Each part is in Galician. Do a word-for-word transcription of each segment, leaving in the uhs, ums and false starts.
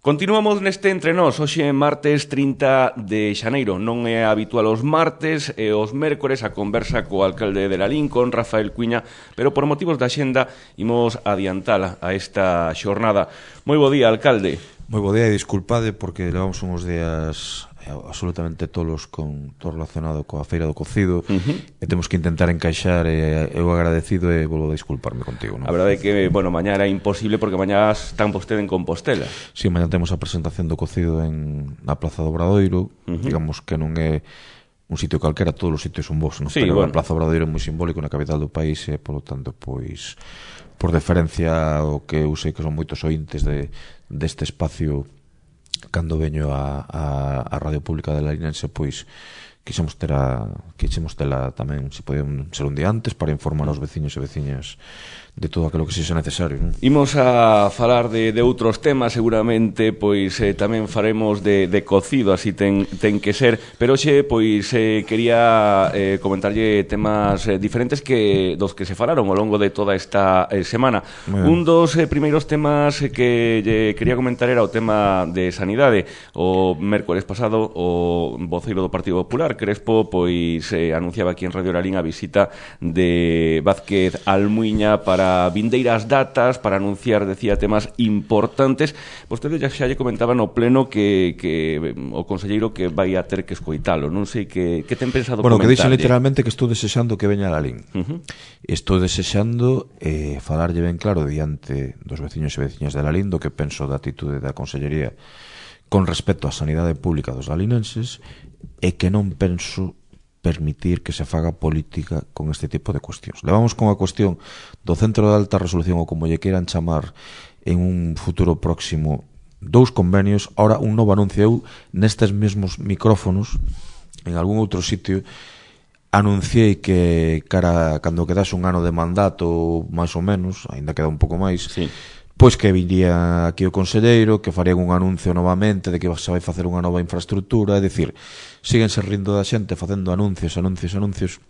Continuamos neste entre nós, hoxe martes trinta de xaneiro. Non é habitual os martes e os mércores a conversa co alcalde de Lalín, con Rafael Cuiña, pero por motivos da xenda imos adiantala a esta xornada. Moi bo día, alcalde. Moi bo día e disculpade porque levamos uns días absolutamente tolos con todo relacionado coa feira do cocido uh-huh. e temos que intentar encaixar e eu agradecido e volvo a disculparme contigo, non? A verdade é que, bueno, mañá era imposible porque mañá están vostede en Compostela. Si, sí, mañá temos a presentación do cocido en na Plaza do Obradoiro, uh-huh. digamos que non é un sitio calquera, todos os sitios son vos, non? Sí, pero bueno. A Plaza do Obradoiro é moi simbólico na capital do país e, polo tanto, pois por deferencia ao que eu sei que son moitos ointes de deste espacio cando veño a, a, a Radio Pública de Larinense, pois quixemos ter a, quixemos tela tamén, se podían ser un día antes, para informar aos veciños e veciñas de todo aquilo que sexa necesario, non? Imos a falar de, de outros temas, seguramente, pois eh, tamén faremos de, de cocido, así ten, ten que ser, pero hoxe, pois, eh, quería eh, comentarlle temas eh, diferentes que dos que se falaron ao longo de toda esta eh, semana. Un dos eh, primeiros temas que eh, quería comentar era o tema de sanidade. O mércores pasado, o voceiro do Partido Popular, Crespo, pois eh, anunciaba aquí en Radio Lalín a visita de Vázquez Almuiña para vindeiras datas, para anunciar, decía, temas importantes. Vostede xa, xa lle comentaba no pleno que, que o conselleiro que vai a ter que escoitalo. Non sei que, que ten pensado bueno, comentarlle. Bueno, que dixen literalmente que estou desexando que veña a Lalín. Uh-huh. Estou desexando eh, falarlle ben claro diante dos veciños e veciñas de Lalín do que penso da atitude da consellería con respecto á sanidade pública dos lalinenses e que non penso permitir que se faga política con este tipo de cuestións. Levamos con a cuestión do Centro de Alta Resolución, ou como lle queiran chamar, en un futuro próximo, dous convenios. Ahora un novo anuncio. Eu, nestes mesmos micrófonos, en algún outro sitio, anunciei que cara cando quedase un ano de mandato, máis ou menos, aínda queda un pouco máis, sí, pois que viría aquí o conselleiro, que faría un anuncio novamente de que se vai facer unha nova infraestructura. É dicir, síguense rindo da xente facendo anuncios, anuncios, anuncios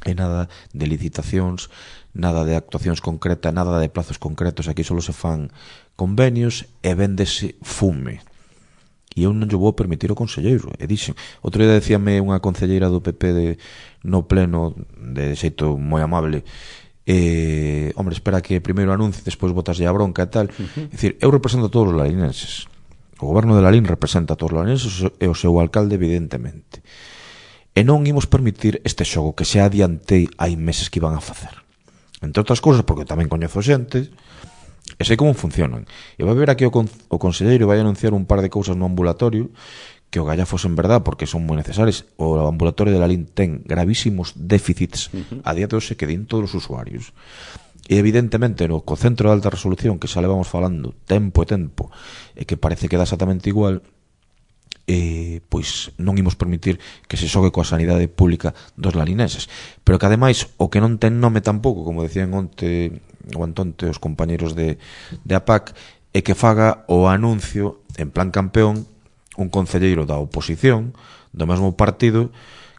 e nada de licitacións, nada de actuacións concretas, nada de plazos concretos. Aquí só se fan convenios e véndese fume. E eu non lle vou permitir ao conselleiro. E dixen, outro día decíame unha concelleira do P P de, no pleno, de xeito moi amable, Eh, hombre, espera que primeiro anuncie, despois botaslle a bronca e tal. Uh-huh. É dicir, eu represento a todos os lalinenses. O goberno de Lalín representa a todos os lalinenses e o seu alcalde, evidentemente. E non imos permitir este xogo que se adiantei hai meses que iban a facer. Entre outras cousas, porque tamén coñezo xente e sei como funcionan. E vai ver aquí o, con- o conselleiro vai anunciar un par de cousas no ambulatorio que o gallafos en verdad, porque son moi necesarias. O ambulatorio de Lalín ten gravísimos déficits uh-huh. a día de hoxe que din todos os usuarios. E evidentemente no co Centro de Alta Resolución, que xa levamos falando tempo e tempo, e que parece que dá exactamente igual, eh, pois non imos permitir que se xogue coa sanidade pública dos lalinenses. Pero que ademais, o que non ten nome tampouco, como decían onte o antonte os compañeros de, de A P A C, é que faga o anuncio en plan campeón un concelleiro da oposición do mesmo partido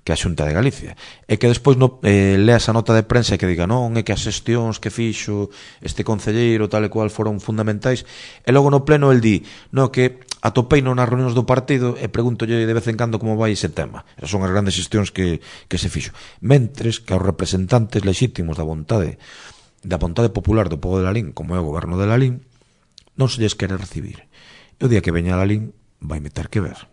que a Xunta de Galicia, e que despois no, eh, lea esa nota de prensa e que diga non, é que as xestións que fixo este concelleiro tal e cual foron fundamentais, e logo no pleno el di non, que atopeino nas reunións do partido e pregúntolle de vez en cando como vai ese tema. Esas son as grandes xestións que, que se fixo, mentres que aos representantes lexítimos da vontade da vontade popular do povo de Lalín, como é o goberno de Lalín, non se lles quere recibir. E o día que veña a Lalín vai meter que ver.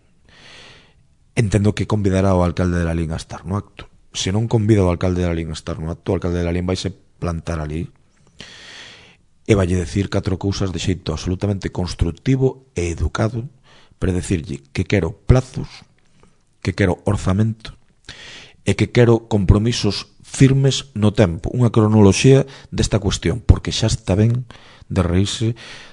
Entendo que convidará o alcalde de Lalín a estar no acto. Se non convida o alcalde de Lalín a estar no acto, o alcalde de Lalín vai se plantar ali e vai decir catro cousas de xeito absolutamente constructivo e educado para decirlle que quero plazos, que quero orzamento e que quero compromisos firmes no tempo, unha cronoloxía desta cuestión, porque xa está ben de reírse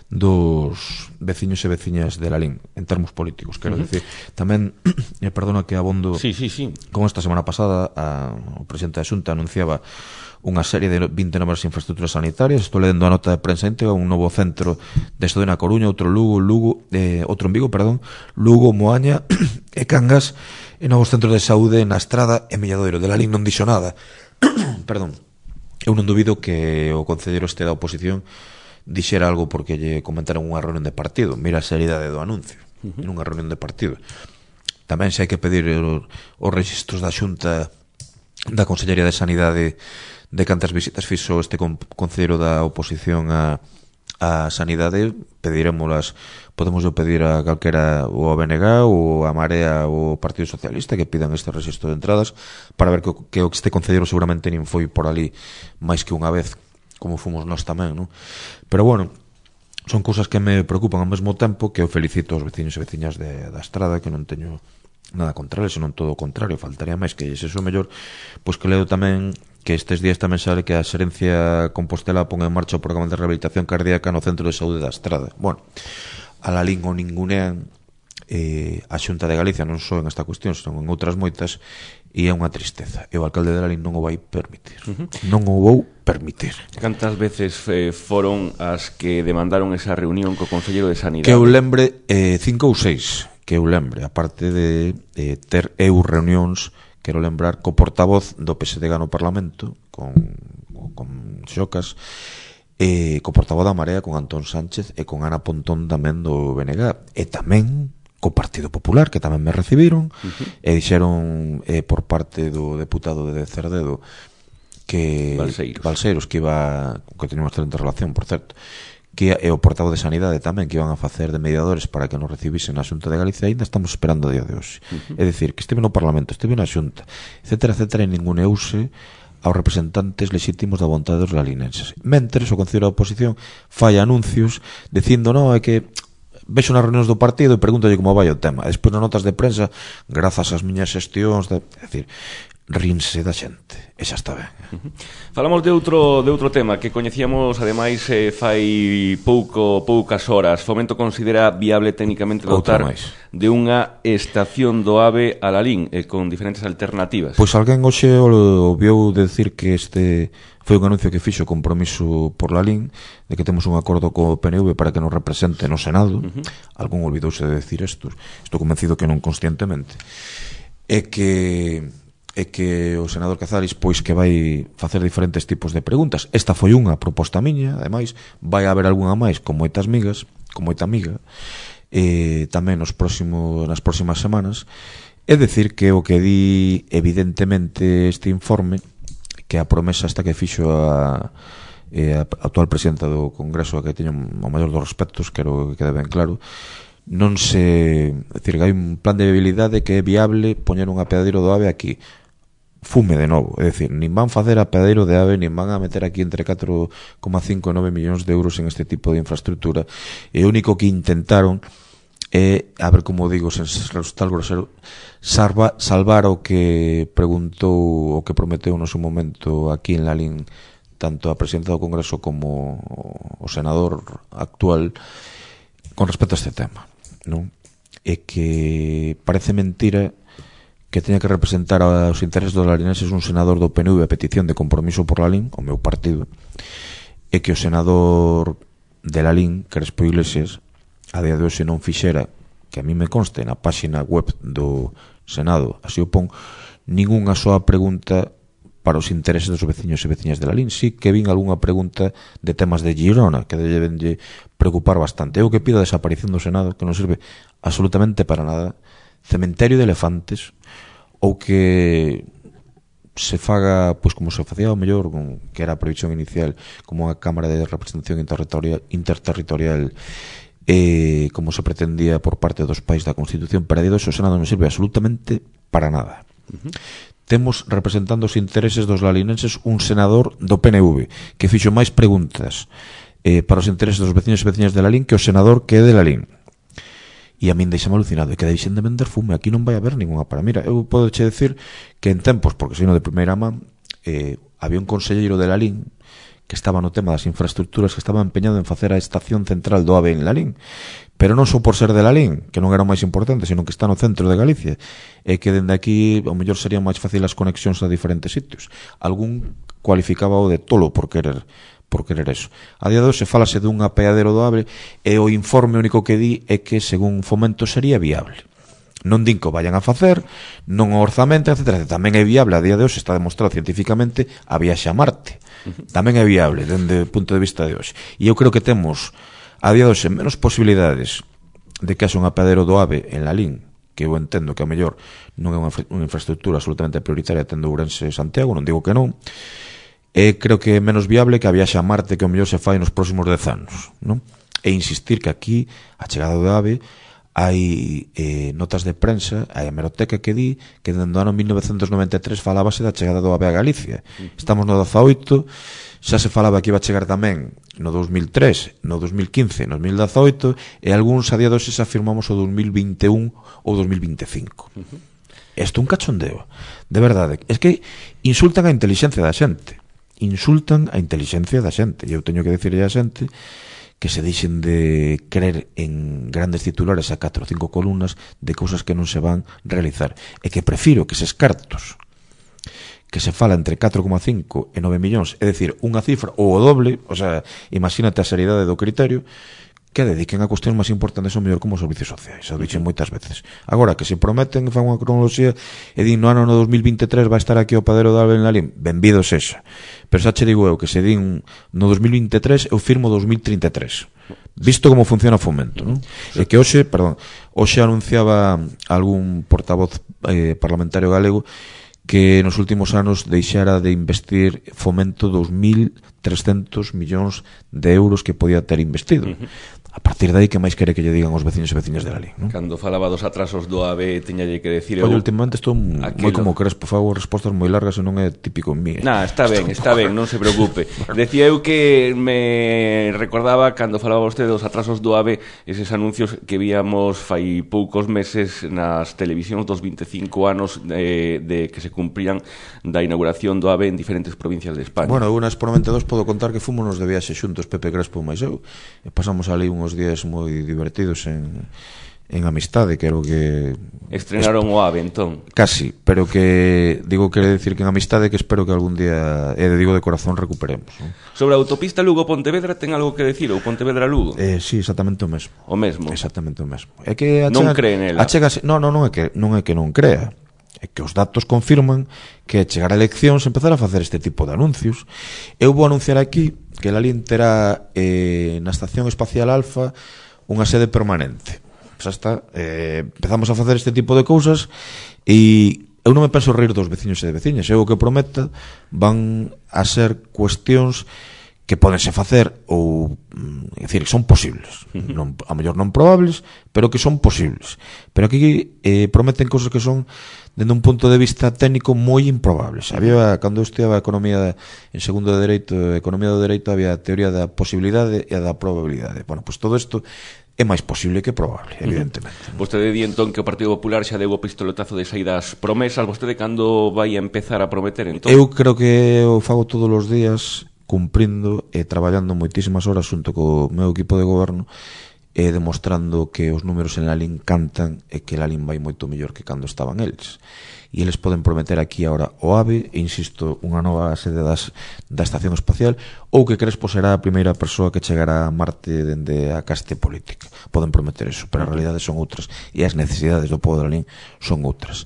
dos veciños e veciñas de Lalín en termos políticos, quero uh-huh. decir tamén, eh, perdona que abondo sí, sí, sí. Con esta semana pasada a, o presidente da Xunta anunciaba unha serie de vinte novas infraestructuras sanitarias. Estou lendo a nota de prensa íntegra, un novo centro de estudo na Coruña, outro Lugo, Lugo eh, outro en Vigo, perdón, Lugo, Moaña e Cangas, e novos centros de saúde na Estrada e Milladoiro. De Lalín non dixo nada perdón. Eu non dubido que o concelleiro este da oposición dixera algo porque lle comentaron unha reunión de partido. Mira a seriedade do anuncio, uh -huh. nunha reunión de partido. Tamén se hai que pedir os, os registros da Xunta da Consellería de Sanidade de cantas visitas fixo este con, concelleiro da oposición a, a Sanidade, pediremoslas, podemos yo pedir a calquera, ou a B N G ou a Marea ou o Partido Socialista que pidan este registro de entradas para ver que, que este concelleiro seguramente nin foi por ali máis que unha vez, como fomos nós tamén, non? Pero bueno, son cousas que me preocupan ao mesmo tempo que eu felicito aos veciños e veciñas de, da Estrada, que non teño nada contra eles, senón todo o contrario, faltaría máis que ese o mellor, pois que leo tamén que estes días tamén sale que a Xerencia Compostela pon en marcha o programa de rehabilitación cardíaca no Centro de Saúde da Estrada. Bueno, a la lín o ningunean eh, a Xunta de Galicia non só en esta cuestión, senón en outras moitas, e é unha tristeza, e o alcalde de Lalín non o vai permitir. Uh -huh. Non o vou permitir. Cantas veces eh, foron as que demandaron esa reunión co Conselleiro de Sanidade? Que eu lembre, eh, cinco ou seis, que eu lembre, aparte de eh, ter eu reunións, quero lembrar, co portavoz do P S D G no Parlamento, con, con Xocas, eh, co portavoz da Marea, con Antón Sánchez, e con Ana Pontón tamén do B N G, e tamén co Partido Popular, que tamén me recibiron, uh -huh. e dixeron eh, por parte do deputado de Cerdedo que Balseiros, Balseiros que iba, que tenía unha excelente relación, por certo, que e o portavoz de Sanidade tamén, que iban a facer de mediadores para que nos recibisen na Xunta de Galicia. Ainda estamos esperando a día de hoxe. Uh -huh. É dicir, que estive no Parlamento, estive na Xunta, etcétera, etcétera, e ninguneuse aos representantes legítimos da vontade dos galinenses. Mentres, o Concello da Oposición fai anuncios dicindo, non, é que vexo nas reunións do partido e pregúntalle como vai o tema. E despois nas notas de prensa, grazas ás miñas xestións, de, é dicir, rinse da xente, e xa está ben. Uh -huh. Falamos de outro de outro tema que coñecíamos ademais eh, fai pouco poucas horas. Fomento considera viable técnicamente dotar de unha estación do AVE a Lalín eh, con diferentes alternativas. Pois alguén hoxe o viu decir que este foi un anuncio que fixo compromiso por Lalín de que temos un acordo co P N V para que nos represente no Senado. Uh -huh. Algún olvidouse de decir isto, estou convencido que non conscientemente, e que é que o senador Cazares pois que vai facer diferentes tipos de preguntas. Esta foi unha proposta miña, ademais vai haber algunha máis con moitas migas, con moita amiga, e tamén nos próximos, nas próximas semanas. É dicir que o que di evidentemente este informe, que a promesa esta que fixo a, a actual presidenta do Congreso, a que teño o maior dos respectos, quero que quede ben claro, non se, é dicir, que hai un plan de viabilidade que é viable poñer un apeadeiro do AVE aquí. Fume de novo, é dicir, nin van facer apeadeiro de AVE, nin van a meter aquí entre catro coma cinco e nove millóns de euros en este tipo de infraestructura, e o único que intentaron é, a ver como digo sen resultar grosero, salva, salvar o que preguntou, o que prometeu no seu momento aquí en Lalín tanto a presidenta do Congreso como o senador actual con respecto a este tema, non? É que parece mentira que teña que representar aos intereses dos larinenses un senador do P N V a petición de compromiso por Lalín, o meu partido, e que o senador de Lalín, Crespo Iglesias, a día de hoxe non fixera, que a mí me conste na páxina web do Senado, así o pon, ningunha soa pregunta para os intereses dos veciños e veciñas de Lalín. Sí que vin algunha pregunta de temas de Girona, que deben de preocupar bastante. Eu que pido a desaparición do Senado, que non serve absolutamente para nada, cementerio de elefantes, ou que se faga, pois como se facía o mellor, que era a previsión inicial, como unha Cámara de Representación Interterritorial, interterritorial eh, como se pretendía por parte dos pais da Constitución, para día de hoxe o Senado non serve absolutamente para nada. Uh -huh. Temos representando os intereses dos lalinenses un senador do P N V que fixo máis preguntas eh, para os intereses dos veciños e veciñas de Lalín que o senador que é de Lalín. E a min deixame alucinado, e que deixen de vender fume, aquí non vai haber ninguna para. Mira, eu podo che decir que en tempos, porque sei no de primeira man, eh, había un conselleiro de Lalín que estaba no tema das infraestructuras, que estaba empeñado en facer a estación central do AVE en Lalín, pero non só por ser de Lalín, que non era o máis importante, sino que está no centro de Galicia, e que dende aquí ao mellor serían máis fácil as conexións a diferentes sitios. Algún cualificaba o de tolo por querer por querer eso. A día de hoxe falase dun apeadero do AVE e o informe único que di é que según Fomento sería viable. Non din que o vayan a facer, non o orzamento, etcétera. Tamén é viable, a día de hoxe está demostrado científicamente, a viaxe a Marte. Tamén é viable, dende o punto de vista de hoxe. E eu creo que temos, a día de hoxe, menos posibilidades de que haxa un apeadeiro do AVE en Lalín, que eu entendo que a mellor non é unha, unha infraestructura absolutamente prioritaria tendo Ourense e Santiago, non digo que non, e creo que é menos viable que a viaxe a Marte que o mellor se fai nos próximos dez anos, non? E insistir que aquí, a chegada do AVE, hai eh, notas de prensa, hai a hemeroteca que di que dende o ano mil novecentos noventa e tres falábase da chegada do AVE a Galicia. Estamos no dezaoito, xa se falaba que iba a chegar tamén no dos mil tres, no dos mil quince, no dos mil dezaoito, e algúns a día de hoxe se afirmamos o dos mil vinte e un ou dos mil vinte e cinco. Isto é un cachondeo, de verdade. É que insultan a inteligencia da xente, insultan a inteligencia da xente, e eu teño que dicirle a xente que se deixen de creer en grandes titulares a catro ou cinco columnas de cousas que non se van realizar, e que prefiro que eses cartos que se fala entre catro coma cinco e nove millóns, é dicir, unha cifra ou o doble, o sea, imagínate a seriedade do criterio, que dediquen a cuestións máis importantes ou mellor como os servicios sociais, xa o dixen moitas veces. Agora, que se prometen que fan unha cronoloxía e din no ano no dos mil vinte e tres vai estar aquí o padeiro de AVE en Lalín, benvido sexa. Pero xa che digo eu que se din no dos mil vinte e tres eu firmo dos mil trinta e tres. Visto como funciona o Fomento, non? E que hoxe, perdón, hoxe anunciaba algún portavoz eh, parlamentario galego que nos últimos anos deixara de investir Fomento dos mil trescentos millóns de euros que podía ter investido. A partir de aí, que máis quere que lle digan os veciños e veciñas de Lalín, non? Cando falaba dos atrasos do AVE, tiñalle que decir... Oye, últimamente estou moi como Crespo, fago respostas moi largas e non é típico en mí. Nah, está ben, está ben, non se preocupe. Decía eu que me recordaba cando falaba vostede dos atrasos do AVE, eses anuncios que víamos fai poucos meses nas televisións dos vinte e cinco anos de, de que se cumprían da inauguración do AVE en diferentes provincias de España. Bueno, eu nas Promete dos podo contar que fomos de viaxe xuntos Pepe Crespo máis eu, e pasamos ali unhos días moi divertidos en, en amistade, creo que... Estrenaron o AVE, entón. Casi, pero que digo, quere decir que en amistade que espero que algún día, e digo de corazón, recuperemos, ¿no? Sobre a autopista Lugo-Pontevedra ten algo que decir, ou Pontevedra-Lugo? Eh, sí, exactamente o mesmo. O mesmo? Exactamente o mesmo. É que achega, non cree nela? Achegase, no, no, non é que non é que non crea, é que os datos confirman que chegar a eleccións empezar a facer este tipo de anuncios. Eu vou anunciar aquí que Lalín terá eh, na Estación Espacial Alfa unha sede permanente. Xa está, eh, empezamos a facer este tipo de cousas e eu non me penso reír dos veciños e de veciñas. Eu o que prometa van a ser cuestións que podense facer ou, é dicir, que son posibles, non, a mellor non probables, pero que son posibles. Pero aquí eh, prometen cousas que son, dende un punto de vista técnico, moi improbables. Había, cando eu estudiaba economía en segundo de dereito, economía do dereito, había a teoría da posibilidade e a da probabilidade. Bueno, pois todo isto é máis posible que probable, evidentemente. Uh-huh. Vostede di entón que o Partido Popular xa deu o pistoletazo de saídas promesas. Vostede cando vai a empezar a prometer entón? Eu creo que eu fago todos os días cumprindo e traballando moitísimas horas xunto co meu equipo de goberno e demostrando que os números en Lalín cantan e que Lalín vai moito mellor que cando estaban eles. E eles poden prometer aquí ahora o AVE, e insisto, unha nova sede das, da Estación Espacial, ou que Crespo será a primeira persoa que chegará a Marte dende a caste política. Poden prometer eso, pero as realidades son outras e as necesidades do povo de Lalín son outras.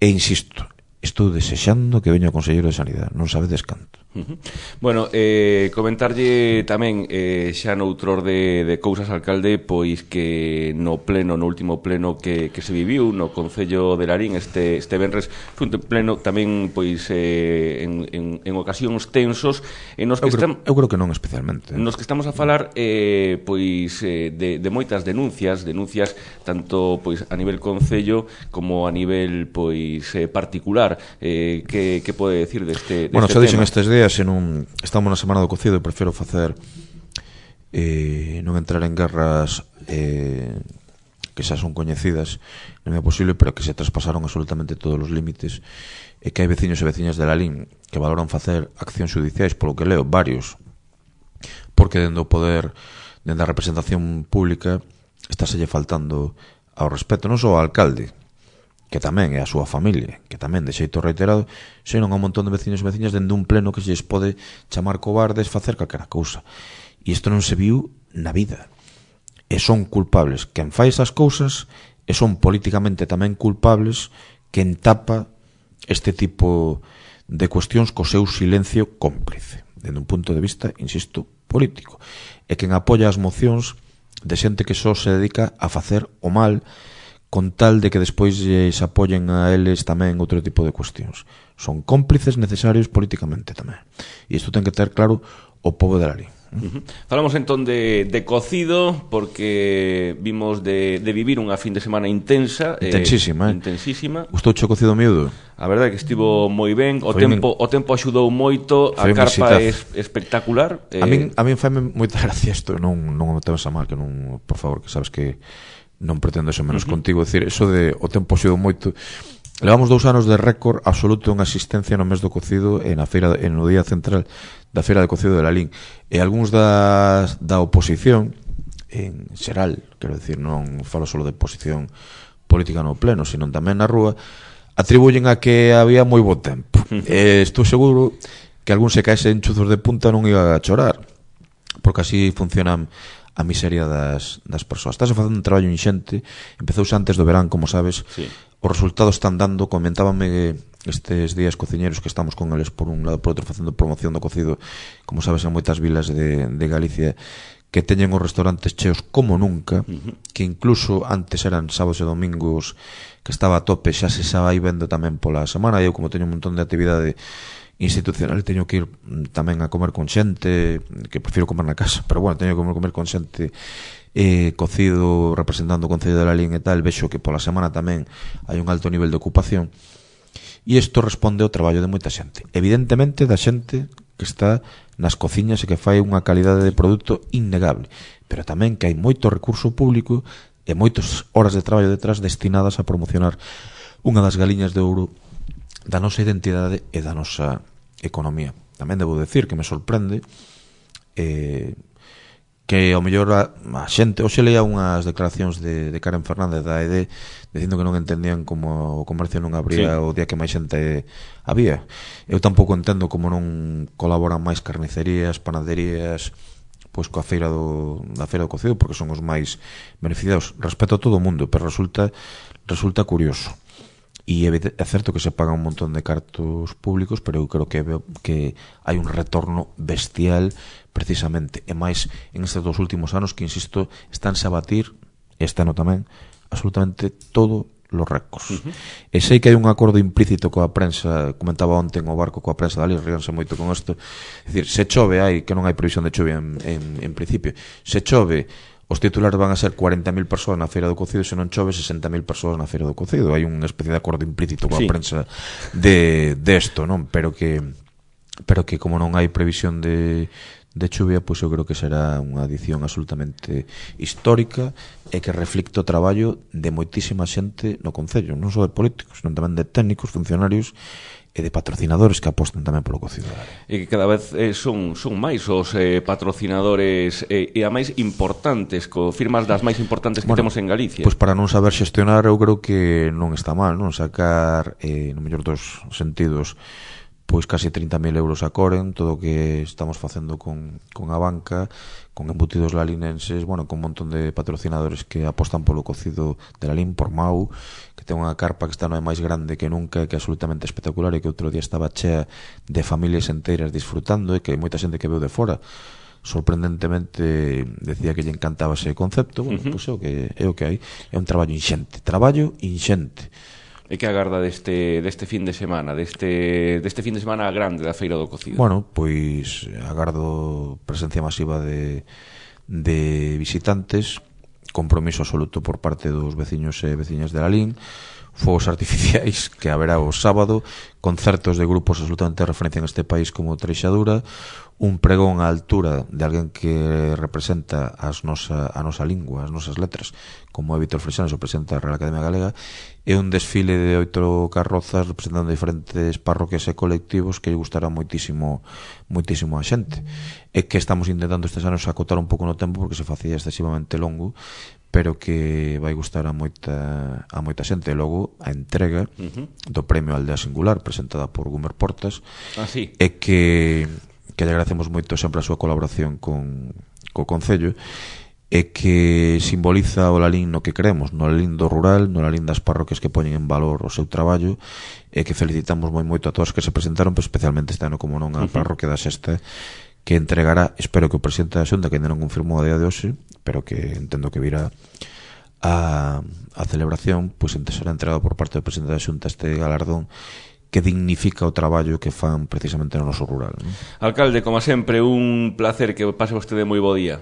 E insisto, estou desexando que veña o Conselleiro de Sanidade, non sabedes canto. Uh-huh. Bueno, eh, comentarlle tamén eh, xa noutro de, de cousas, alcalde, pois que no pleno, no último pleno que, que se viviu no Concello de Lalín este, este venres, foi un pleno tamén pois eh, en, en, en ocasións tensos en nos que eu, creo, estam, eu creo que non especialmente nos que estamos a falar eh, pois eh, de, de moitas denuncias denuncias tanto pois a nivel Concello como a nivel pois eh, particular. eh, que, que pode decir deste, deste bueno, xa dixen tema? Estes días en un, estamos na semana do cocido e prefiro facer eh, non entrar en guerras eh, que xa son coñecidas, non é posible, pero que se traspasaron absolutamente todos os límites, e que hai veciños e veciñas de Lalín que valoran facer accións judiciais, polo que leo, varios, porque dende o poder, dende a representación pública, estáselle faltando ao respeto non só ao alcalde, que tamén é a súa familia, que tamén de xeito reiterado, senón a un montón de veciños e veciñas dende un pleno que se lles pode chamar cobardes, facer calquera cousa. E isto non se viu na vida. E son culpables quen fai esas cousas e son políticamente tamén culpables que entapa este tipo de cuestións co seu silencio cómplice, dende un punto de vista, insisto, político. E quen apoia as mocións de xente que só se dedica a facer o mal con tal de que despois se apoyen a eles tamén outro tipo de cuestións. Son cómplices necesarios políticamente tamén. E isto ten que ter claro o pobo de Lalín. Uh-huh. Falamos entón de, de cocido, porque vimos de, de vivir unha fin de semana intensa, intensísima, eh, intensísima. Gustouche o cocido miúdo? A verdade é que estivo moi ben, o Foi tempo, un... o tempo axudou moito, a carpa é espectacular. Eh... A min a min faime moita gracia isto, non non me temas a mal, que non, por favor, que sabes que non pretendo ser menos uh-huh. contigo, decir, eso de o tempo axudou moito. Levamos dous anos de récord absoluto en asistencia no mes do cocido e na feira, en o día central da feira de cocido de Lalín. E algúns das, da oposición en xeral, quero decir, non falo só de oposición política no pleno, sino tamén na rúa, atribuyen a que había moi bo tempo. E estou seguro que algún se caese en chuzos de punta non iba a chorar, porque así funcionan a miseria das, das persoas. Estás facendo un traballo inxente, empezouse antes do verán, como sabes, sí. Os resultados están dando, comentábame estes días cociñeros que estamos con eles por un lado por outro facendo promoción do cocido, como sabes, en moitas vilas de, de Galicia, que teñen os restaurantes cheos como nunca, uh-huh. que incluso antes eran sábados e domingos que estaba a tope, xa se xa vai vendo tamén pola semana. Eu, como teño un montón de actividade institucional, teño que ir tamén a comer con xente, que prefiro comer na casa, pero bueno, teño que comer, comer con xente eh, cocido, representando o Concello de Lalín e tal. Vexo que pola semana tamén hai un alto nivel de ocupación, e isto responde ao traballo de moita xente, evidentemente da xente que está nas cociñas e que fai unha calidade de produto innegable, pero tamén que hai moito recurso público e moitas horas de traballo detrás destinadas a promocionar unha das galiñas de ouro da nosa identidade e da nosa economía. Tamén debo decir que me sorprende eh, que ao mellor a, a xente, hoxe leía unhas declaracións de, de Karen Fernández da E D dicindo que non entendían como o comercio non abría sí. o día que máis xente había. Eu tampouco entendo como non colaboran máis carnicerías, panaderías, pois coa feira do, da feira do cocido, porque son os máis beneficiados. Respeto a todo o mundo, pero resulta resulta curioso. E é certo que se pagan un montón de cartos públicos, pero eu creo que veo que hai un retorno bestial precisamente, e máis en estes dos últimos anos que, insisto, estánse a batir, este ano tamén, absolutamente todo los récords. Uh-huh. E sei que hai un acordo implícito coa prensa, comentaba onte o barco coa prensa dali, ríanse moito con isto, é dicir, se chove, hai que non hai previsión de chuvia en, en, en principio, se chove, os titulares van a ser cuarenta mil persoas na feira do cocido, e se non chove sesenta mil persoas na feira do cocido. Hai unha especie de acordo implícito coa sí. prensa de desto, non? Pero que pero que como non hai previsión de de chuvia, pois eu creo que será unha edición absolutamente histórica e que reflicte o traballo de moitísima xente no concello, non só de políticos, senón tamén de técnicos, funcionarios e de patrocinadores que apostan tamén polo cocido. E que cada vez eh, son, son máis os eh, patrocinadores eh, e a máis importantes, co firmas das máis importantes que bueno, temos en Galicia. Pois para non saber xestionar, eu creo que non está mal, non? Sacar, eh, no mellor dos sentidos, pois casi trinta mil euros a Coren, todo o que estamos facendo con, con a banca, con embutidos lalinenses, bueno, con un montón de patrocinadores que apostan polo cocido de Lalín, por Mau, que ten unha carpa que está non é máis grande que nunca, que é absolutamente espectacular, e que outro día estaba chea de familias enteiras disfrutando, e que hai moita xente que veu de fora sorprendentemente decía que lle encantaba ese concepto. Bueno, uh-huh. pois é o que é o que hai, é un traballo inxente, traballo inxente. E que agarda deste, deste fin de semana, deste, deste fin de semana grande da Feira do Cocido? Bueno, pois agardo presencia masiva de, de visitantes, compromiso absoluto por parte dos veciños e veciñas de Lalín, fogos artificiais que haberá o sábado, concertos de grupos absolutamente de referencia en este país como Treixadura, un pregón á altura de alguén que representa as nosa, a nosa lingua, as nosas letras, como é Vítor Freixanes, o presidente da Real Academia Galega, e un desfile de oito carrozas representando diferentes parroquias e colectivos que lle gustará moitísimo moitísimo a xente, e que estamos intentando estes anos acotar un pouco no tempo porque se facía excesivamente longo, pero que vai gustar a moita a moita xente. E logo a entrega uh-huh. do Premio Aldea Singular presentada por Gumer Portas, ah, sí. e que que lle agradecemos moito sempre a súa colaboración con co Concello, e que simboliza o Lalín no que creemos, no Lalín do rural, no Lalín das parroquias que poñen en valor o seu traballo, e que felicitamos moi moito a todas que se presentaron, pero especialmente este ano, como non, a parroquia da Sexta, que entregará, espero que o presidente da Xunta, que ainda non confirmou a día de hoxe, pero que entendo que virá a, a celebración, pois pues, será entregado por parte do presidente da Xunta este galardón que dignifica o traballo que fan precisamente no noso rural, non? Alcalde, como sempre, un placer, que pase vostede moi bo día.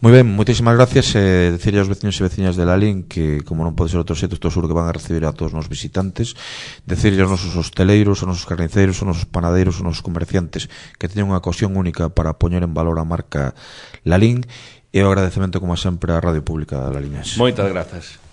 Moi ben, moitísimas gracias, e eh, decirle aos veciños e veciñas de Lalín que, como non pode ser outro xeito, estou seguro que van a recibir a todos os visitantes, decirle aos nosos hosteleiros, aos nosos carniceiros, aos nosos panaderos, aos nosos comerciantes que teñen unha ocasión única para poñer en valor a marca Lalín, e o agradecemento, como sempre, á Radio Pública Lalinense. Moitas grazas.